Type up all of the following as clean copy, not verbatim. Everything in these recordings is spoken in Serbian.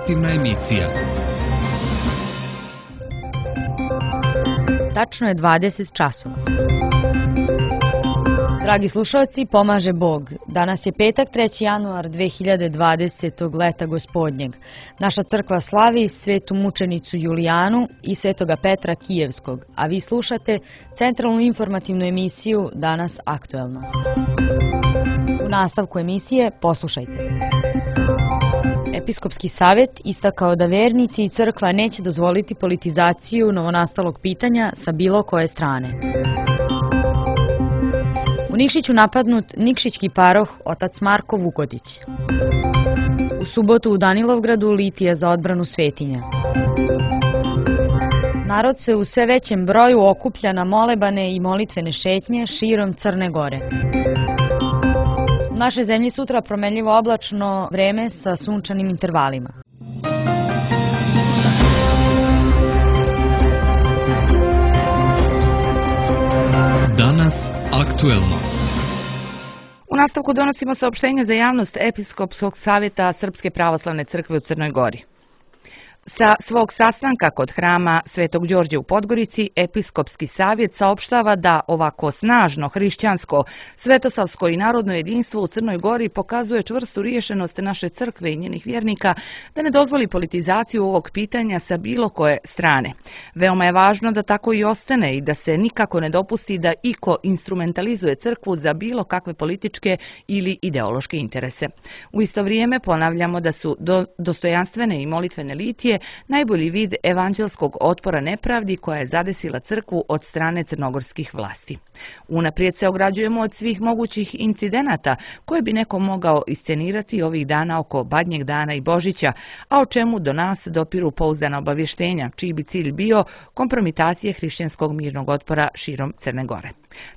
informativna emisija. Tačno je 20 časova. Dragi slušalci, pomaže Bog. Danas je petak, 3. januar 2020. leta gospodnjeg. Naša crkva slavi svetu mučenicu Julijanu i svetoga Petra Kijevskog, a vi slušate centralnu informativnu emisiju Danas aktuelno. U nastavku emisije poslušajte. Episkopski savjet istakao da vernici i crkva neće dozvoliti politizaciju novonastalog pitanja sa bilo koje strane. U Nikšiću napadnut nikšićki paroh otac Marko Vukodić. U subotu u Danilovgradu litija za odbranu svetinja. Narod se u sve većem broju okuplja na molebane i molitvene šetnje širom Crne Gore. U našoj zemlji sutra promenljivo oblačno vreme sa sunčanim intervalima. Danas aktuelno. U nastavku donosimo saopštenje za javnost Episkopskog savjeta Srpske pravoslavne crkve u Crnoj Gori. Sa svog sastanka kod hrama Svetog Đorđa u Podgorici, Episkopski savjet saopštava da ovako snažno hrišćansko, svetosavsko i narodno jedinstvo u Crnoj Gori pokazuje čvrstu riješenost naše crkve i njenih vjernika da ne dozvoli politizaciju ovog pitanja sa bilo koje strane. Veoma je važno da tako i ostane i da se nikako ne dopusti da iko instrumentalizuje crkvu za bilo kakve političke ili ideološke interese. U isto vrijeme ponavljamo da su dostojanstvene i molitvene litije najbolji vid evanđelskog otpora nepravdi koja je zadesila crkvu od strane crnogorskih vlasti. Unaprijed se ograđujemo od svih mogućih incidenata koje bi neko mogao iscenirati ovih dana oko Badnjeg dana i Božića, a o čemu do nas dopiru pouzdana obavještenja, čiji bi cilj bio kompromitacije hrišćanskog mirnog otpora širom Crne Gore.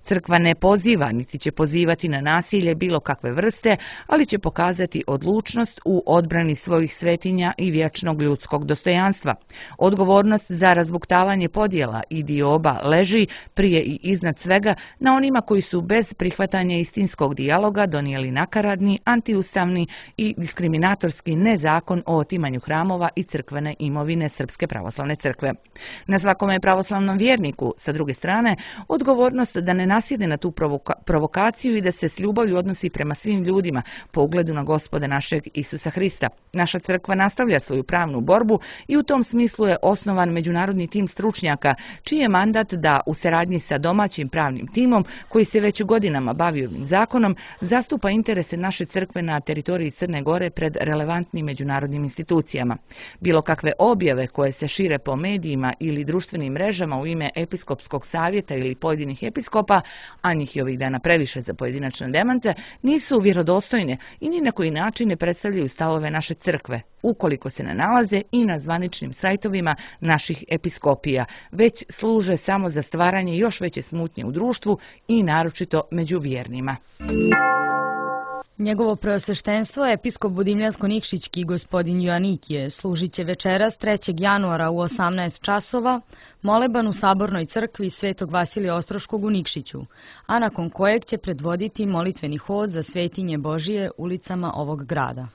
Crkva ne poziva, niti će pozivati na nasilje bilo kakve vrste, ali će pokazati odlučnost u odbrani svojih svetinja i vječnog ljudskog dostojanstva. Odgovornost za razbuktavanje podjela i dioba leži prije i iznad svega na onima koji su bez prihvatanja istinskog dijaloga donijeli nakaradni, antiustavni i diskriminatorski nezakon o otimanju hramova i crkvene imovine Srpske pravoslavne crkve. Na svakome pravoslavnom vjerniku, sa druge strane, odgovornost da ne nasjede na tu provokaciju i da se s ljubavlju odnosi prema svim ljudima po ugledu na Gospoda našeg Isusa Hrista. Naša crkva nastavlja svoju pravnu borbu i u tom smislu je osnovan međunarodni tim stručnjaka, čiji je mandat da u saradnji sa domaćim pravnim timom, koji se već godinama bavi ovim zakonom, zastupa interese naše crkve na teritoriji Crne Gore pred relevantnim međunarodnim institucijama. Bilo kakve objave koje se šire po medijima ili društvenim mrežama u ime Episkopskog savjeta ili pojedinih episkopa, a njih je ovih dana previše za pojedinačne demante, nisu vjerodostojne i ni na koji način ne predstavljaju stavove naše crkve, ukoliko se ne nalaze i na zvaničnim sajtovima naših episkopija, već služe samo za stvaranje još veće smutnje u društvu i naročito među vjernima. Njegovo preosveštenstvo, episkop Budimljansko-Nikšićki gospodin Joanikije, služit će večeras 3. januara u 18 časova moleban u Sabornoj crkvi Svetog Vasilija Ostroškog u Nikšiću, a nakon kojeg će predvoditi molitveni hod za svetinje Božije ulicama ovog grada.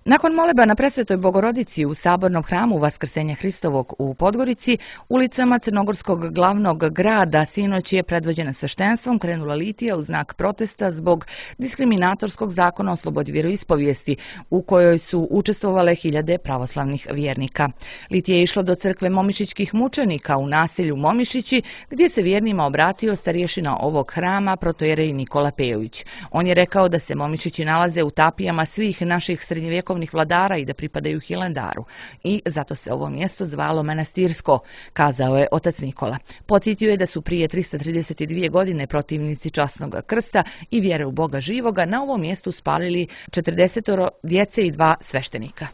Nakon moleba na Presvetoj Bogorodici u Sabornom hramu Vaskrsenja Hristovog u Podgorici, ulicama crnogorskog glavnog grada sinoć je predvođena sveštenstvom krenula litija u znak protesta zbog diskriminatorskog zakona o slobodi vjeroispovijesti, u kojoj su učestvovale hiljade pravoslavnih vjernika. Litija je išlo do crkve momišićkih mučenika u naselju Momišići, gdje se vjernima obratio starješina ovog hrama, protojerej Nikola Pejović. On je rekao da se Momišići nalaze u tapijama svih naših srednjovjekovnih vladara i da pripadaju Hilandaru. I zato se ovo mjesto zvalo Manastirsko, kazao je otac Nikola. Podsjetio je da su prije 332 godine protivnici časnog krsta i vjere u Boga živoga na ovom mjestu spalili 40 djece i 2 sveštenika.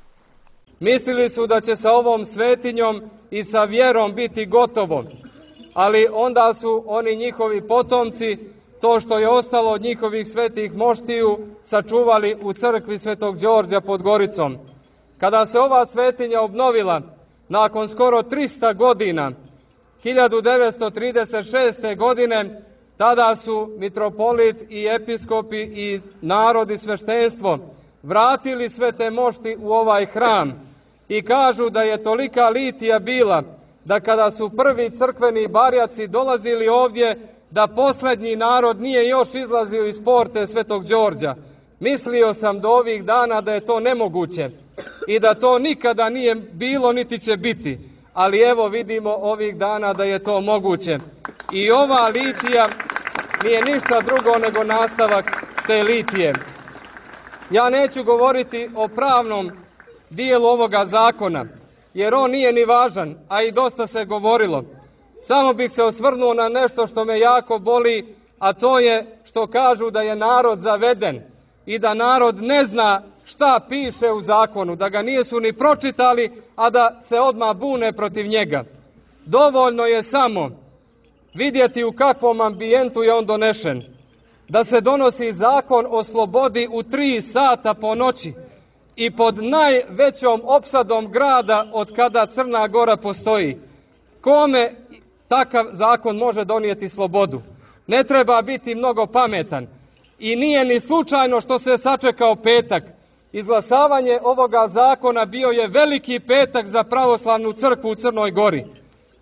Mislili su da će sa ovom svetinjom i sa vjerom biti gotovo, ali onda su oni njihovi potomci to što je ostalo od njihovih svetih moštiju sačuvali u crkvi Svetog Đorđa pod Goricom. Kada se ova svetinja obnovila nakon skoro 300 godina, 1936. godine, tada su mitropolit i episkopi i narod i sveštenstvo vratili sve te mošti u ovaj hram i kažu da je tolika litija bila da kada su prvi crkveni barjaci dolazili ovdje, da posljednji narod nije još izlazio iz porte Svetog Đorđa. Mislio sam do ovih dana da je to nemoguće i da to nikada nije bilo niti će biti, ali evo vidimo ovih dana da je to moguće. I ova litija nije ništa drugo nego nastavak te litije. Ja neću govoriti o pravnom dijelu ovoga zakona, jer on nije ni važan, a i dosta se govorilo. Samo bih se osvrnuo na nešto što me jako boli, a to je što kažu da je narod zaveden i da narod ne zna šta piše u zakonu, da ga nisu ni pročitali, a da se odmah bune protiv njega. Dovoljno je samo vidjeti u kakvom ambijentu je on donešen. Da se donosi zakon o slobodi u 3 sata po noći i pod najvećom opsadom grada od kada Crna Gora postoji. Kome takav zakon može donijeti slobodu? Ne treba biti mnogo pametan. I nije ni slučajno što se sačekao petak. Izglasavanje ovoga zakona bio je veliki petak za pravoslavnu crkvu u Crnoj Gori.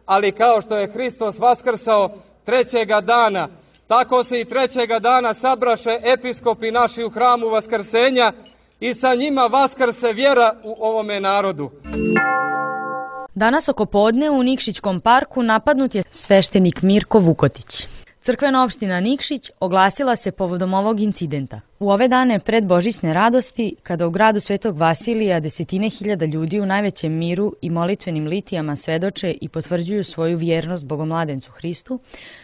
Ali kao što je Hristos vaskrsao 3. dana, tako se i 3. dana sabraše episkopi naši u hramu Vaskrsenja i sa njima vaskrse vjera u ovome narodu. Danas oko podne u Nikšićkom parku napadnut je sveštenik Mirko Vukotić. Crkvena opština Nikšić oglasila se povodom ovog incidenta. U ove dane pred Božićne radosti, kada u gradu Svetog Vasilija desetine hiljada ljudi u najvećem miru i molitvenim litijama svedoče i potvrđuju svoju vjernost Bogomladencu Hristu,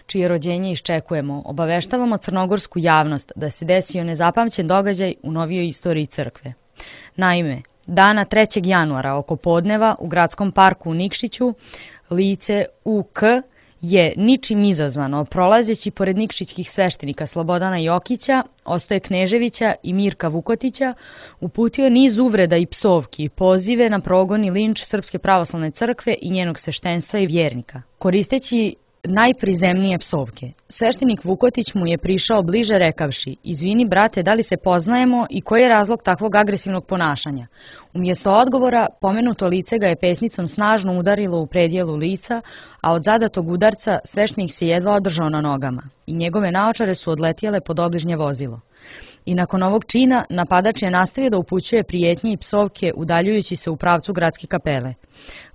čije rođenje iščekujemo, obaveštavamo crnogorsku javnost da se desio nezapamćen događaj u novijoj istoriji crkve. Naime, dana 3. januara oko podneva u gradskom parku u Nikšiću lice UK je ničim izazvano, prolazeći pored nikšićkih sveštenika Slobodana Jokića, Ostoje Kneževića i Mirka Vukotića, uputio niz uvreda i psovki, pozive na progon i linč Srpske pravoslavne crkve i njenog sveštenstva i vjernika, koristeći najprizemnije psovke. Sveštenik Vukotić mu je prišao bliže rekavši: "Izvini brate, da li se poznajemo i koji je razlog takvog agresivnog ponašanja?" Umjesto odgovora, pomenuto lice ga je pesnicom snažno udarilo u predjelu lica, a od zadatog udarca sveštenik se jedva održao na nogama i njegove naočare su odletjele pod obližnje vozilo. I nakon ovog čina napadač je nastavio da upućuje prijetnje i psovke udaljujući se u pravcu gradske kapele.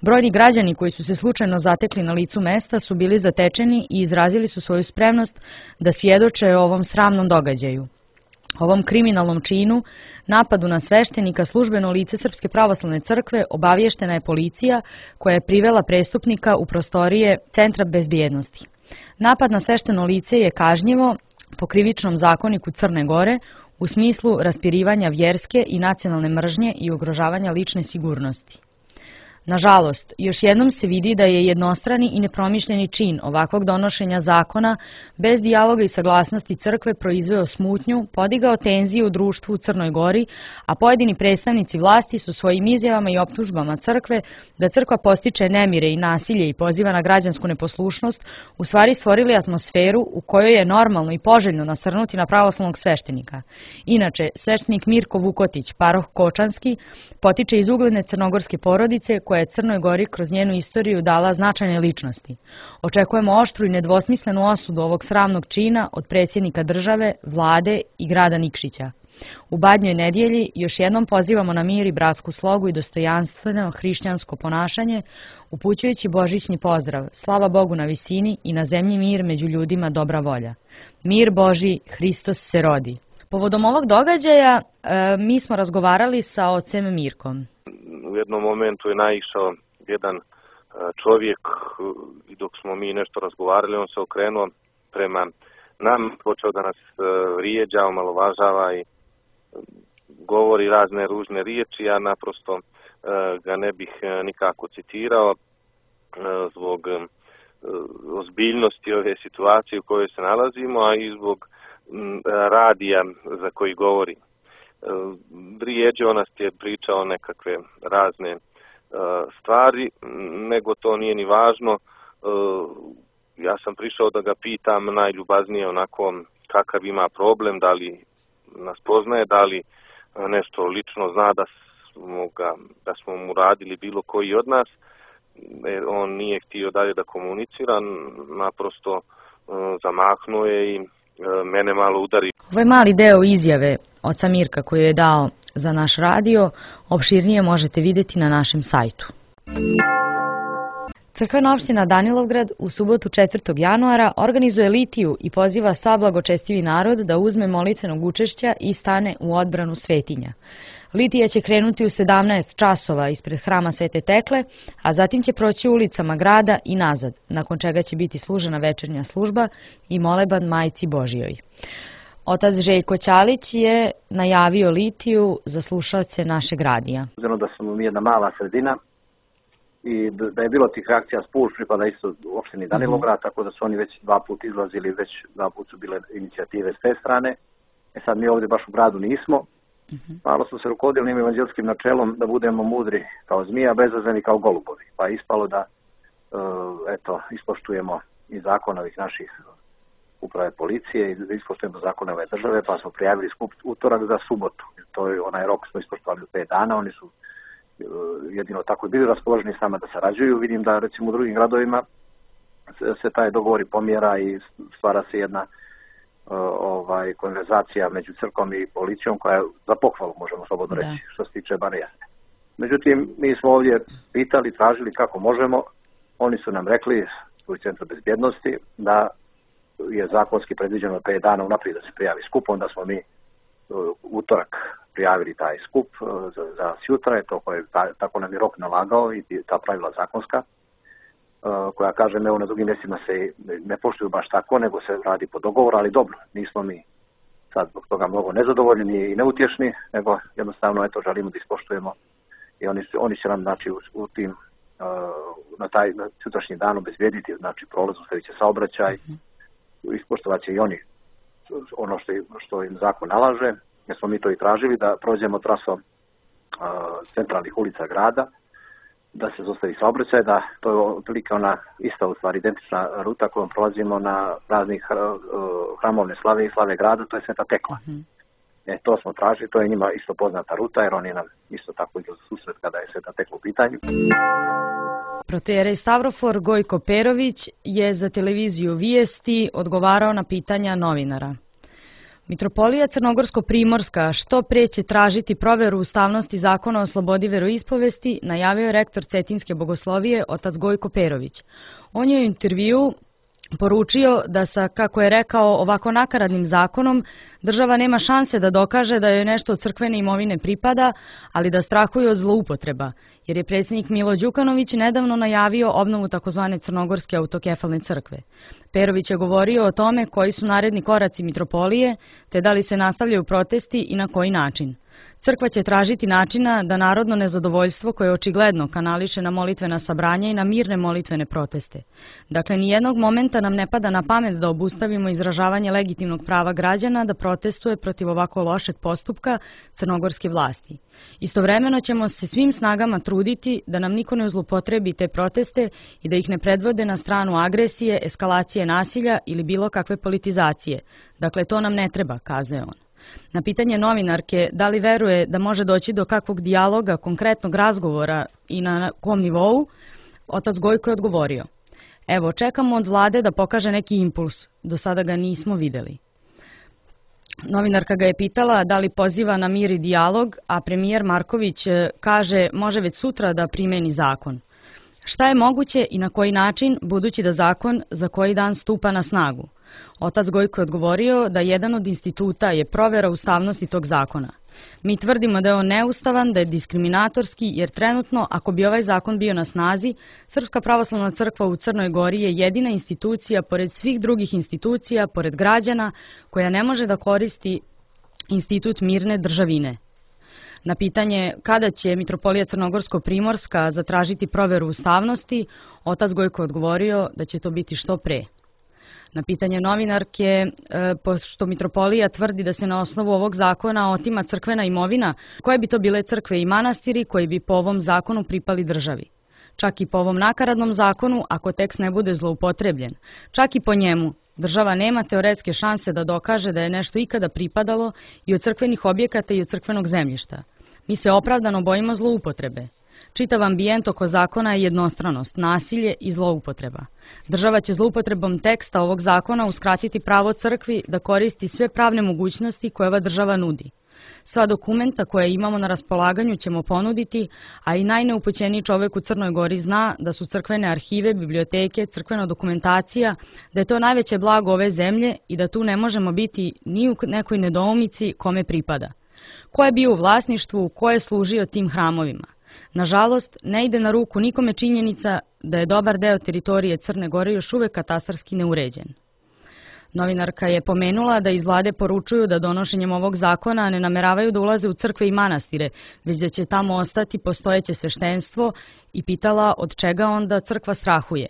Brojni građani koji su se slučajno zatekli na licu mesta su bili zatečeni i izrazili su svoju spremnost da svjedoče o ovom sramnom događaju. Ovom kriminalnom činu, napadu na sveštenika, službeno lice Srpske pravoslavne crkve obavještena je policija koja je privela prestupnika u prostorije Centra bezbjednosti. Napad na svešteno lice je kažnjivo po krivičnom zakoniku Crne Gore u smislu raspirivanja vjerske i nacionalne mržnje i ugrožavanja lične sigurnosti. Nažalost, još jednom se vidi da je jednostrani i nepromišljeni čin ovakvog donošenja zakona bez dijaloga i saglasnosti crkve proizveo smutnju, podigao tenziju u društvu u Crnoj Gori, a pojedini predstavnici vlasti su svojim izjavama i optužbama crkve da crkva postiče nemire i nasilje i poziva na građansku neposlušnost, u stvari stvorili atmosferu u kojoj je normalno i poželjno nasrnuti na pravoslavnog sveštenika. Inače, sveštenik Mirko Vukotić, paroh Kočanski, potiče iz ugledne crnogorske porodice koja je Crnoj Gori kroz njenu istoriju dala značajne ličnosti. Očekujemo oštru i nedvosmislenu osudu ovog sramnog čina od predsjednika države, vlade i grada Nikšića. U Badnjoj nedjelji još jednom pozivamo na mir i bratsku slogu i dostojanstveno hrišćansko ponašanje, upućujući božićni pozdrav: slava Bogu na visini i na zemlji mir, među ljudima dobra volja. Mir Božji, Hristos se rodi. Povodom ovog događaja mi smo razgovarali sa ocem Mirkom. U jednom momentu je naišao jedan čovjek i dok smo mi nešto razgovarali, on se okrenuo prema nam, počeo da nas vrijeđa, omalovažava i govori razne ružne riječi. Ja naprosto ga ne bih nikako citirao zbog ozbiljnosti ove situacije u kojoj se nalazimo, a i zbog radija za koji govori. Vrijeđao nas je, pričao nekakve razne stvari, nego to nije ni važno. Ja sam prišao da ga pitam najljubaznije onako kakav ima problem, da li nas poznaje, da li nešto lično zna da smo mu radili bilo koji od nas. On nije htio dalje da komunicira, naprosto zamahnuo je i mene malo udari. Ovo je mali deo izjave oca Mirka koju je dao za naš radio. Opširnije možete vidjeti na našem sajtu. Crkvena opština Danilovgrad u subotu 4. januara organizuje litiju i poziva sav blagočestivi narod da uzme molitvenog učešća i stane u odbranu svetinja. Litija će krenuti u 17 časova ispred hrama Svete Tekle, a zatim će proći ulicama grada i nazad, nakon čega će biti služena večernja služba i moleban Majci Božijoj. Otac Željko Ćalić je najavio litiju za slušaoce našeg radija. Uzmano da smo mi jedna mala sredina i da je bilo tih reakcija Spuž, pripada isto u opštini Danilograd, tako da su oni već 2 puta izlazili, već 2 puta su bile inicijative s te strane. Sad mi ovdje baš u gradu nismo. Malo smo se rukovodili njim evanđelskim načelom da budemo mudri kao zmija, bezazleni kao golubovi. Pa je ispalo da ispoštujemo i zakon ovih naših uprave policije i da ispoštujemo zakone ove države, pa smo prijavili skup utorak za subotu. To je onaj rok smo ispoštovali u 5 dana, oni su jedino tako i bili raspoloženi s nama da sarađuju. Vidim da recimo u drugim gradovima se taj dogovor pomjera i stvara se jedna konverzacija među crkvom i policijom koja je za pohvalu, možemo slobodno reći, što se tiče bar jasne. Međutim, mi smo ovdje pitali, tražili kako možemo. Oni su nam rekli u Centru bezbjednosti da je zakonski predviđeno 5 dana unaprijed da se prijavi skup, onda smo mi utorak prijavili taj skup za sjutra, tako nam je rok nalagao i ta pravila zakonska, koja kažem, evo na drugim mjestima se ne poštuju baš tako, nego se radi po dogovoru, ali dobro, nismo mi sad zbog toga mnogo nezadovoljni i neutješni, nego jednostavno želimo da ispoštujemo i oni će nam u tim na taj sutrašnji dan obezbijediti, prolaz, ustavit će saobraćaj, ispoštovat će i oni ono što im zakon nalaže, jer smo mi to i tražili da prođemo trasom centralnih ulica grada, da se zaustavi saobraćaj, da to je otprilike ona ista u stvari identična ruta kojom prolazimo na raznih hramovne slave i slave grada, to je Sveta Tekla. To smo tražili, to je njima isto poznata ruta, jer oni nam isto tako idu za susret kada je Sveta Tekla u pitanju. Protejerej Stavrofor Gojko Perović je za televiziju Vijesti odgovarao na pitanja novinara. Mitropolija Crnogorsko-Primorska što pre će tražiti proveru ustavnosti zakona o slobodi veroispovesti, najavio je rektor Cetinske bogoslovije otac Gojko Perović. On je u intervjuu poručio da sa, kako je rekao, ovako nakaradnim zakonom država nema šanse da dokaže da joj nešto od crkvene imovine pripada, ali da strahuje od zloupotreba, jer je predsjednik Milo Đukanović nedavno najavio obnovu takozvane Crnogorske autokefalne crkve. Perović je govorio o tome koji su naredni koraci mitropolije, te da li se nastavljaju protesti i na koji način. Crkva će tražiti načina da narodno nezadovoljstvo koje očigledno kanališe na molitvena sabranja i na mirne molitvene proteste. Dakle, nijednog momenta nam ne pada na pamet da obustavimo izražavanje legitimnog prava građana da protestuje protiv ovako lošeg postupka crnogorske vlasti. Istovremeno ćemo se svim snagama truditi da nam niko ne zlupotrebi te proteste i da ih ne predvode na stranu agresije, eskalacije nasilja ili bilo kakve politizacije. Dakle, to nam ne treba, kazao on. Na pitanje novinarke da li veruje da može doći do kakvog dijaloga, konkretnog razgovora i na kom nivou, otac Gojko je odgovorio: evo, čekamo od vlade da pokaže neki impuls, do sada ga nismo videli. Novinarka ga je pitala da li poziva na mir i dijalog, a premijer Marković kaže može već sutra da primeni zakon. Šta je moguće i na koji način, budući da zakon za koji dan stupa na snagu? Otac Gojko je odgovorio da jedan od instituta je provera ustavnosti tog zakona. Mi tvrdimo da je on neustavan, da je diskriminatorski, jer trenutno, ako bi ovaj zakon bio na snazi, Srpska pravoslavna crkva u Crnoj Gori je jedina institucija, pored svih drugih institucija, pored građana, koja ne može da koristi institut mirne državine. Na pitanje kada će Mitropolija Crnogorsko-Primorska zatražiti proveru ustavnosti, otac Gojko je odgovorio da će to biti što pre. Na pitanje novinarke, pošto Mitropolija tvrdi da se na osnovu ovog zakona otima crkvena imovina, koje bi to bile crkve i manastiri koji bi po ovom zakonu pripali državi? čak i po ovom nakaradnom zakonu ako tekst ne bude zloupotrebljen. Čak i po njemu država nema teoretske šanse da dokaže da je nešto ikada pripadalo i od crkvenih objekata i od crkvenog zemljišta. Mi se opravdano bojimo zloupotrebe. Čitav ambijent oko zakona je jednostranost, nasilje i zloupotreba. Država će zloupotrebom teksta ovog zakona uskratiti pravo crkvi da koristi sve pravne mogućnosti koje ova država nudi. Sva dokumenta koje imamo na raspolaganju ćemo ponuditi, a i najneupućeniji čovek u Crnoj Gori zna da su crkvene arhive, biblioteke, crkvena dokumentacija, da je to najveće blago ove zemlje i da tu ne možemo biti ni u nekoj nedoumici kome pripada. Ko je bio u vlasništvu, ko je služio tim hramovima. Nažalost, ne ide na ruku nikome činjenica da je dobar deo teritorije Crne Gore još uvek katastarski neuređen. Novinarka je pomenula da iz vlade poručuju da donošenjem ovog zakona ne nameravaju da ulaze u crkve i manastire, već da će tamo ostati postojeće sveštenstvo i pitala od čega onda crkva strahuje.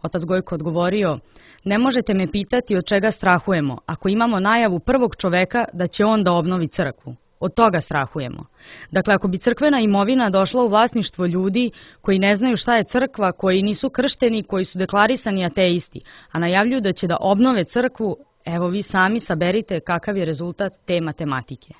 Otac Gojko odgovorio: ne možete me pitati od čega strahujemo, ako imamo najavu prvog čoveka da će on da obnovi crkvu. Od toga strahujemo. Dakle, ako bi crkvena imovina došla u vlasništvo ljudi koji ne znaju šta je crkva, koji nisu kršteni, koji su deklarisani ateisti, a najavljuju da će da obnove crkvu, evo vi sami saberite kakav je rezultat te matematike.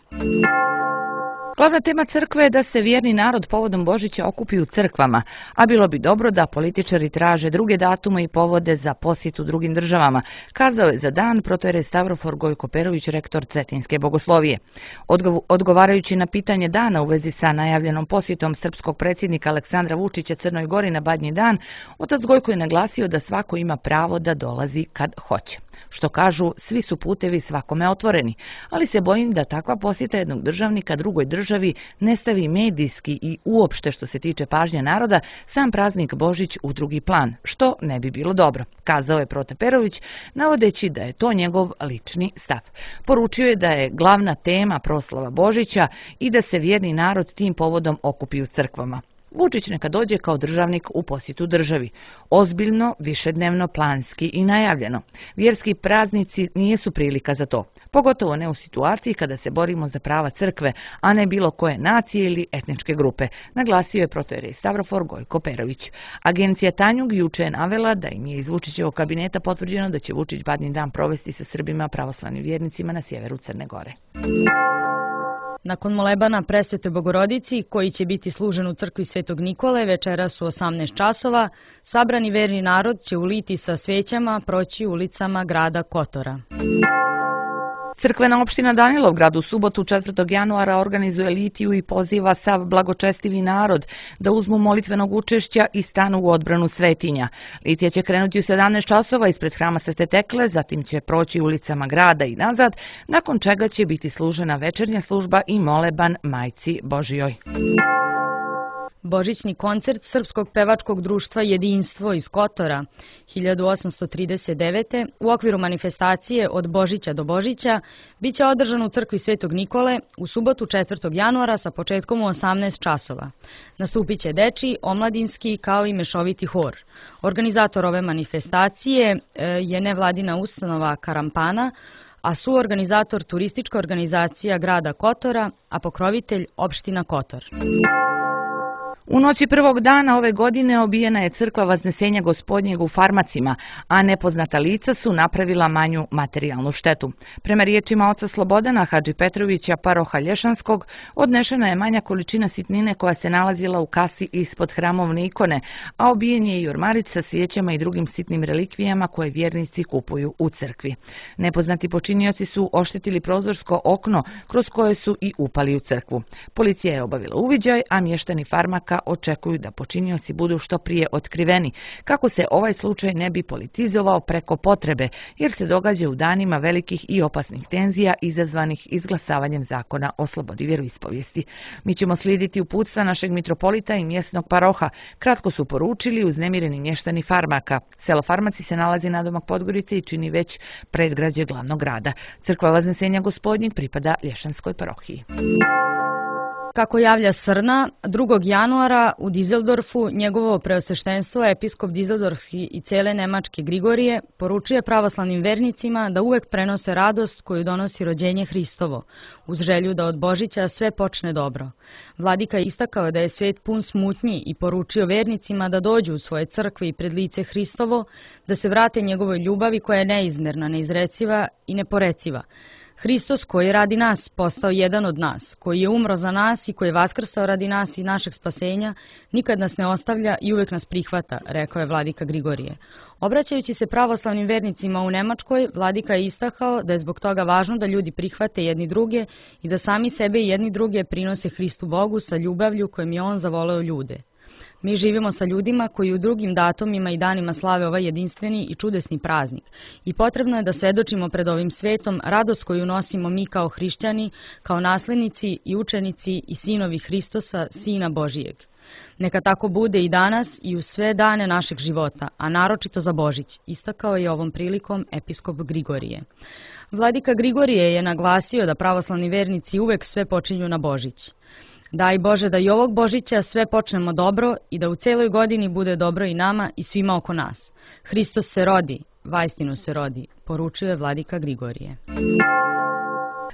Glavna tema crkve je da se vjerni narod povodom Božića okupi u crkvama, a bilo bi dobro da političari traže druge datume i povode za posjetu drugim državama, kazao je za dan protojerej Stavrofor Gojko Perović, rektor Cetinske bogoslovije. Odgovarajući na pitanje dana u vezi sa najavljenom posjetom srpskog predsjednika Aleksandra Vučića Crnoj Gori na Badnji dan, otac Gojko je naglasio da svako ima pravo da dolazi kad hoće. Što kažu, svi su putevi svakome otvoreni, ali se bojim da takva posjeta jednog državnika drugoj državi ne stavi medijski i uopšte što se tiče pažnje naroda sam praznik Božić u drugi plan, što ne bi bilo dobro, kazao je Prote Perović, navodeći da je to njegov lični stav. Poručio je da je glavna tema proslava Božića i da se vjerni narod tim povodom okupi u crkvama. Vučić neka dođe kao državnik u posjetu državi. Ozbiljno, višednevno, planski i najavljeno. Vjerski praznici nijesu prilika za to, pogotovo ne u situaciji kada se borimo za prava crkve, a ne bilo koje nacije ili etničke grupe, naglasio je protojerej Stavrofor Gojko Perović. Agencija Tanjug juče je navela da im je iz Vučićevog kabineta potvrđeno da će Vučić Badnji dan provesti sa Srbima pravoslavnim vjernicima na sjeveru Crne Gore. Nakon molebana Presvetoj Bogorodici, koji će biti služen u crkvi Svetog Nikole večeras u 18 časova, sabrani verni narod će uliti sa svećama proći ulicama grada Kotora. Crkvena opština Danilovgrad u subotu 4. januara organizuje litiju i poziva sav blagočestivi narod da uzmu molitvenog učešća i stanu u odbranu svetinja. Litija će krenuti u 17 časova ispred hrama Svete Tekle, zatim će proći ulicama grada i nazad, nakon čega će biti služena večernja služba i moleban Majci Božijoj. Božićni koncert Srpskog pevačkog društva Jedinstvo iz Kotora 1839. u okviru manifestacije Od Božića do Božića biće održan u crkvi Svetog Nikole u subotu 4. januara sa početkom u 18 časova. Nastupit će dečiji, omladinski kao i mešoviti hor. Organizator ove manifestacije je nevladina ustanova Karampana, a suorganizator turistička organizacija grada Kotora, a pokrovitelj opština Kotor. U noći prvog dana ove godine obijena je crkva Vaznesenja Gospodnjeg u Farmacima, a nepoznata lica su napravila manju materijalnu štetu. Prema riječima oca Slobodana Hadži Petrovića, paroha Lješanskog, odnešena je manja količina sitnine koja se nalazila u kasi ispod hramovne ikone, a obijen je i ormarić sa svijećama i drugim sitnim relikvijama koje vjernici kupuju u crkvi. Nepoznati počinioci su oštetili prozorsko okno kroz koje su i upali u crkvu. Policija je obavila uviđaj, a mještani Farmaka očekuju da počinioci budu što prije otkriveni, kako se ovaj slučaj ne bi politizovao preko potrebe, jer se događa u danima velikih i opasnih tenzija izazvanih izglasavanjem zakona o slobodi vjeroispovijesti. Mi ćemo slijediti uputstva našeg mitropolita i mjesnog paroha, kratko su poručili uznemireni mještani Farmaka. Selo Farmaci se nalazi nadomak Podgorice i čini već predgrađe glavnog grada. Crkva Vaznesenja Gospodnjeg pripada Lješanskoj parohiji. Kako javlja Srna, 2. januara u Dizeldorfu njegovo preosveštenstvo, episkop Dizeldorfski i cele Nemačke Grigorije, poručuje pravoslavnim vernicima da uvek prenose radost koju donosi rođenje Hristovo, uz želju da od Božića sve počne dobro. Vladika je istakao da je svet pun smutnji i poručio vernicima da dođu u svoje crkve i pred lice Hristovo, da se vrate njegovoj ljubavi koja je neizmerna, neizreciva i neporeciva. Hristos koji je radi nas postao jedan od nas, koji je umro za nas i koji je vaskrsao radi nas i našeg spasenja, nikad nas ne ostavlja i uvek nas prihvata, rekao je vladika Grigorije. Obraćajući se pravoslavnim vernicima u Nemačkoj, vladika je istakao da je zbog toga važno da ljudi prihvate jedni druge i da sami sebe i jedni druge prinose Hristu Bogu sa ljubavlju kojim je On zavoleo ljude. Mi živimo sa ljudima koji u drugim datumima i danima slave ovaj jedinstveni i čudesni praznik i potrebno je da svedočimo pred ovim svetom radost koju nosimo mi kao hrišćani, kao naslednici i učenici i sinovi Hristosa, Sina Božijeg. Neka tako bude i danas i u sve dane našeg života, a naročito za Božić, istakao je ovom prilikom episkop Grigorije. Vladika Grigorije je naglasio da pravoslavni vernici uvek sve počinju na Božić. Daj Bože da i ovog Božića sve počnemo dobro i da u celoj godini bude dobro i nama i svima oko nas. Hristos se rodi, vaistinu se rodi, poručio je vladika Grigorije.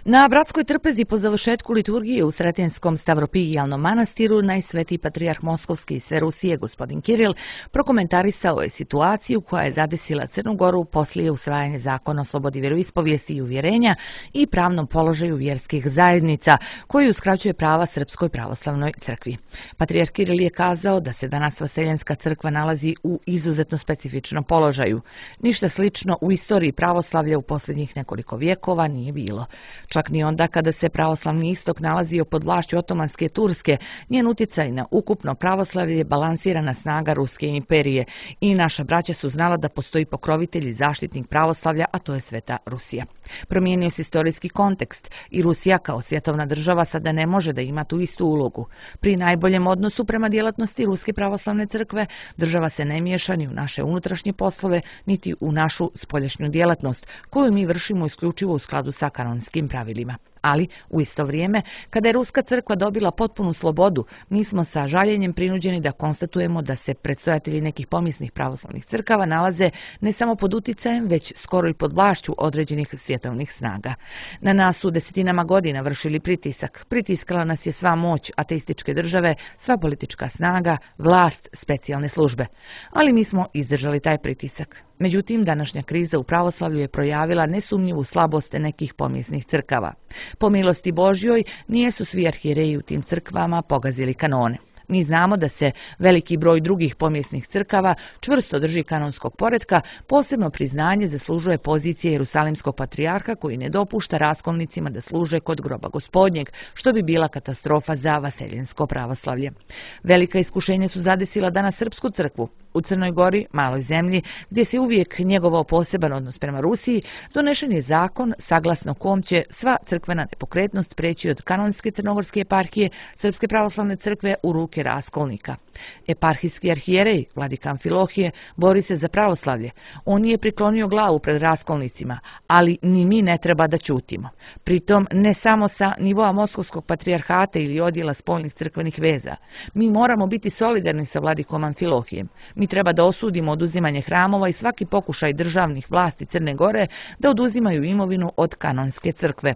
Na Bratskoj trpezi po završetku liturgije u Sretinskom Stavropijalnom manastiru najsvetiji patrijarh Moskovski i sve Rusije, gospodin Kiril, prokomentarisao je situaciju koja je zadesila Crnu Goru poslije usvajanja zakona o slobodi vjeroispovijesti i uvjerenja i pravnom položaju vjerskih zajednica, koji uskraćuje prava Srpskoj pravoslavnoj crkvi. Patrijarh Kiril je kazao da se danas Vaseljenska crkva nalazi u izuzetno specifičnom položaju. Ništa slično u istoriji pravoslavlja u posljednjih nekoliko vjekova nije bilo. Čak ni onda kada se pravoslavni istok nalazio pod vlašću Otomanske Turske, njen utjecaj na ukupno pravoslavlje je balansirana snaga Ruske imperije i naša braća su znala da postoji pokrovitelj i zaštitnik pravoslavlja, a to je Sveta Rusija. Promijenio se istorijski kontekst i Rusija kao svjetovna država sada ne može da ima tu istu ulogu. Pri najboljem odnosu prema djelatnosti Ruske pravoslavne crkve, država se ne miješa ni u naše unutrašnje poslove, niti u našu spoljašnju djelatnost, koju mi vršimo isključivo u skladu sa kanonskim pravilima. Ali, u isto vrijeme, kada je Ruska crkva dobila potpunu slobodu, mi smo sa žaljenjem prinuđeni da konstatujemo da se predstojatelji nekih pomisnih pravoslavnih crkava nalaze ne samo pod uticajem, već skoro i pod vlašću određenih svjetovnih snaga. Na nas su desetinama godina vršili pritisak. Pritiskala nas je sva moć ateističke države, sva politička snaga, vlast, specijalne službe. Ali mi smo izdržali taj pritisak. Međutim, današnja kriza u pravoslavlju je projavila nesumnjivu slabost nekih pomisnih crkava. Po milosti Božjoj, nijesu svi arhijereji u tim crkvama pogazili kanone. Mi znamo da se veliki broj drugih pomjesnih crkava čvrsto drži kanonskog poretka, posebno priznanje zaslužuje pozicije Jerusalimskog patrijarha koji ne dopušta raskolnicima da služe kod groba Gospodnjeg, što bi bila katastrofa za vaseljensko pravoslavlje. Velika iskušenja su zadesila danas Srpsku crkvu. U Crnoj Gori, maloj zemlji, gdje se uvijek njegovao poseban odnos prema Rusiji, donešen je zakon saglasno kom će sva crkvena nepokretnost preći od kanonske crnogorske eparhije Srpske pravoslavne crkve u ruke raskolnika. Eparhijski arhijerej, vladika Amfilohije, bori se za pravoslavlje. On je priklonio glavu pred raskolnicima, ali ni mi ne treba da ćutimo. Pritom ne samo sa nivoa Moskovskog patrijarhata ili odjela spoljnih crkvenih veza. Mi moramo biti solidarni sa vladikom Amfilohijem. Mi treba da osudimo oduzimanje hramova i svaki pokušaj državnih vlasti Crne Gore da oduzimaju imovinu od kanonske crkve.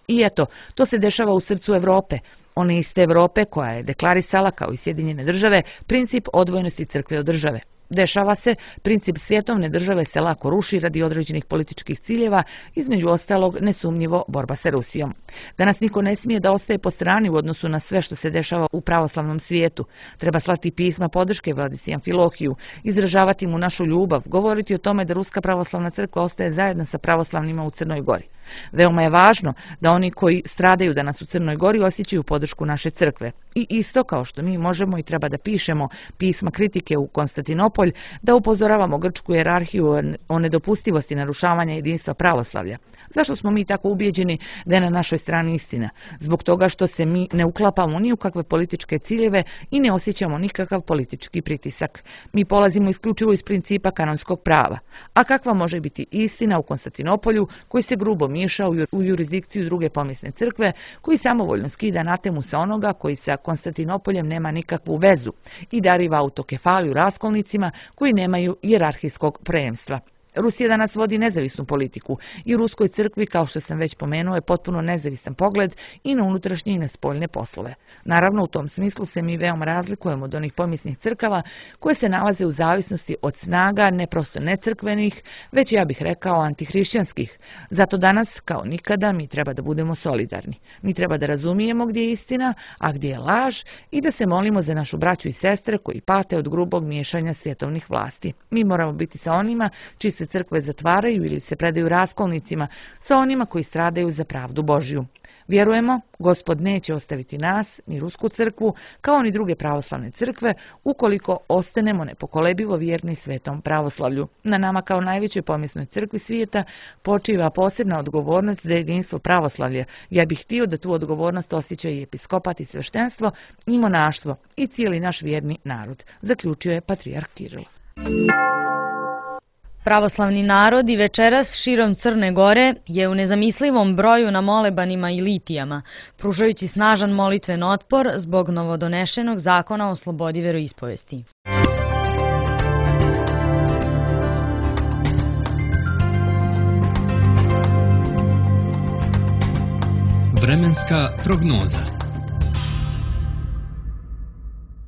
I eto, to se dešava u srcu Evrope. One iste Evrope koja je deklarisala, kao i Sjedinjene države, princip odvojenosti crkve od države. Dešava se, princip svjetovne države se lako ruši radi određenih političkih ciljeva, između ostalog nesumnjivo borba sa Rusijom. Danas niko ne smije da ostaje po strani u odnosu na sve što se dešava u pravoslavnom svijetu. Treba slati pisma podrške vladici Amfilohiju, izražavati mu našu ljubav, govoriti o tome da Ruska pravoslavna crkva ostaje zajedno sa pravoslavnima u Crnoj Gori. Veoma je važno da oni koji stradaju danas u Crnoj Gori osjećaju podršku naše crkve. I isto kao što mi možemo i treba da pišemo pisma kritike u Konstantinopolj, da upozoravamo grčku jerarhiju o nedopustivosti narušavanja jedinstva pravoslavlja. Zašto smo mi tako ubijeđeni da je na našoj strani istina? Zbog toga što se mi ne uklapamo ni u kakve političke ciljeve i ne osjećamo nikakav politički pritisak. Mi polazimo isključivo iz principa kanonskog prava. A kakva može biti istina u Konstantinopolju koji se grubo miješa u jurisdikciju druge pomisne crkve, koji samovoljno skida anatemu sa onoga koji sa Konstantinopoljem nema nikakvu vezu i dariva autokefaliju raskolnicima koji nemaju hijerarhijskog preemstva. Rusija danas vodi nezavisnu politiku i u Ruskoj crkvi, kao što sam već pomenuo, je potpuno nezavisan pogled i na unutrašnje i na spoljne poslove. Naravno, u tom smislu se mi veoma razlikujemo od onih pomisnih crkava koje se nalaze u zavisnosti od snaga ne prosto necrkvenih, već ja bih rekao antihrišćanskih. Zato danas, kao nikada, mi treba da budemo solidarni. Mi treba da razumijemo gdje je istina, a gdje je laž i da se molimo za našu braću i sestre koji pate od grubog miješanja svjetovnih vlasti. Mi moramo biti sa onima čiji se crkve zatvaraju ili se predaju raskolnicima, sa onima koji stradaju za pravdu Božju. Vjerujemo, Gospod neće ostaviti nas, ni Rusku crkvu, kao ni druge pravoslavne crkve, ukoliko ostanemo nepokolebivo vjerni svetom pravoslavlju. Na nama kao najvećoj pomisnoj crkvi svijeta počiva posebna odgovornost za jedinstvo pravoslavlja. Ja bih htio da tu odgovornost osjeća i episkopat i sveštenstvo, i monaštvo, i cijeli naš vjerni narod, zaključio je patrijarh Kiril. Pravoslavni narod i večeras širom Crne Gore je u nezamislivom broju na molebanima i litijama, pružajući snažan molitven otpor zbog novodonešenog zakona o slobodi veroispovesti. Vremenska prognoza.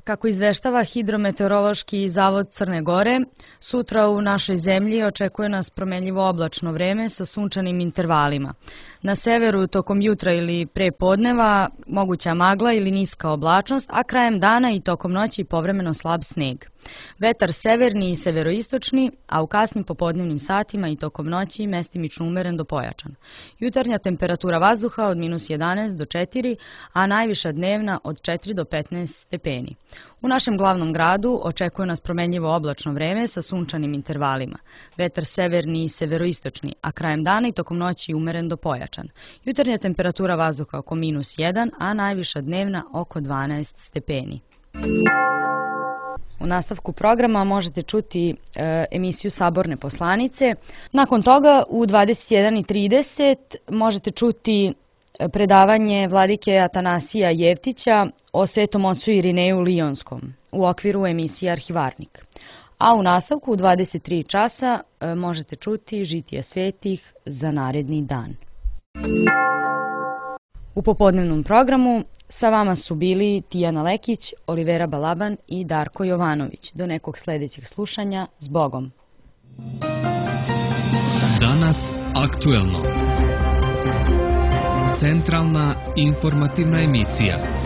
Kako izveštava Hidrometeorološki zavod Crne Gore, sutra u našoj zemlji očekuje nas promenljivo oblačno vreme sa sunčanim intervalima. Na severu tokom jutra ili pre podneva moguća magla ili niska oblačnost, a krajem dana i tokom noći povremeno slab sneg. Vetar severni i severoistočni, a u kasnim popodnevnim satima i tokom noći mestimično umeren do pojačan. Jutarnja temperatura vazduha od -11 do 4, a najviša dnevna od 4 do 15 stepeni. U našem glavnom gradu očekuje nas promenljivo oblačno vreme sa sunčanim intervalima. Vetar severni i severoistočni, a krajem dana i tokom noći umeren do pojačan. Jutarnja temperatura vazduha oko -1, a najviša dnevna oko 12 stepeni. U nastavku programa možete čuti emisiju Saborne poslanice. Nakon toga u 21:30 možete čuti predavanje vladike Atanasija Jevtića o Svetom ocu Irineju Lijonskom u okviru emisije Arhivarnik. A u nastavku u 23 časa možete čuti Žitije svetih za naredni dan. U popodnevnom programu sa vama su bili Tijana Lekić, Olivera Balaban i Darko Jovanović. Do nekog sljedećeg slušanja, s Bogom. Danas aktuelno. Centralna informativna emisija.